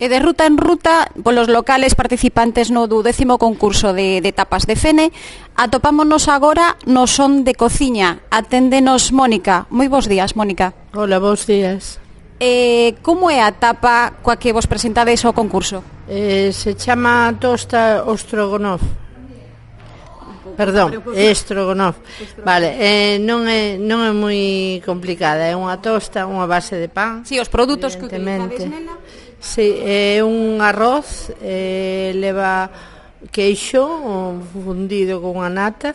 E de ruta en ruta, polos locales participantes no do 10º concurso de tapas de Fene, atopámonos agora no Son de Cociña. Aténdenos Mónica. Moi bons días, Mónica. Hola, bons días. Como é a tapa coa que vos presentades ao concurso? Se chama tosta Ostrogonoff. Perdón, Estrogonoff. Vale, non é moi complicada. É unha tosta, unha base de pan. Si, os produtos que utilizades nela. Si, é un arroz, leva queixo fundido con unha nata.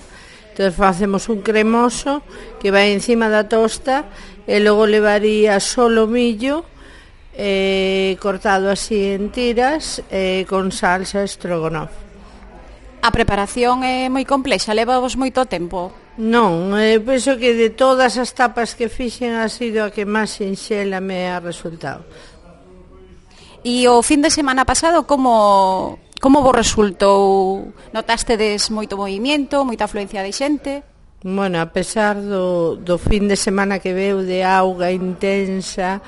Entón facemos un cremoso que vai encima da tosta e logo levaría solo millo cortado así en tiras con salsa Estrogonoff. A preparación é moi complexa, levavos moito tempo? Non, penso que de todas as tapas que fixen ha sido a que máis sinxela me ha resultado. E o fin de semana pasado como vos resultou? Notastedes moito movimiento, moita afluencia de xente? Bueno, a pesar do fin de semana que veu de auga intensa,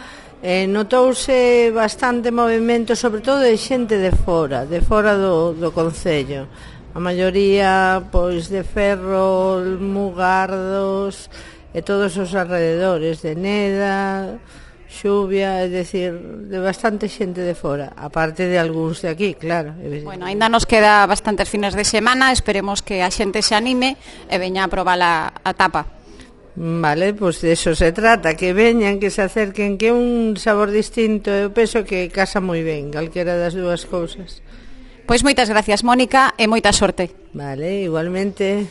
notouse bastante movimento, sobre todo de xente de fora do concello. A maioría, pois, de Ferrol, Mugardos e todos os alrededores de Neda, Xuvia, é dicir, de bastante xente de fora, aparte de algúns de aquí, claro. Bueno, ainda nos queda bastantes fines de semana, esperemos que a xente se anime e veña a probar a tapa. Vale, pois de eso se trata, que veñan, que se acerquen, que é un sabor distinto, eu penso que casa moi ben, calquera das dúas cousas. Pois moitas gracias, Mónica, e moita sorte. Vale, igualmente.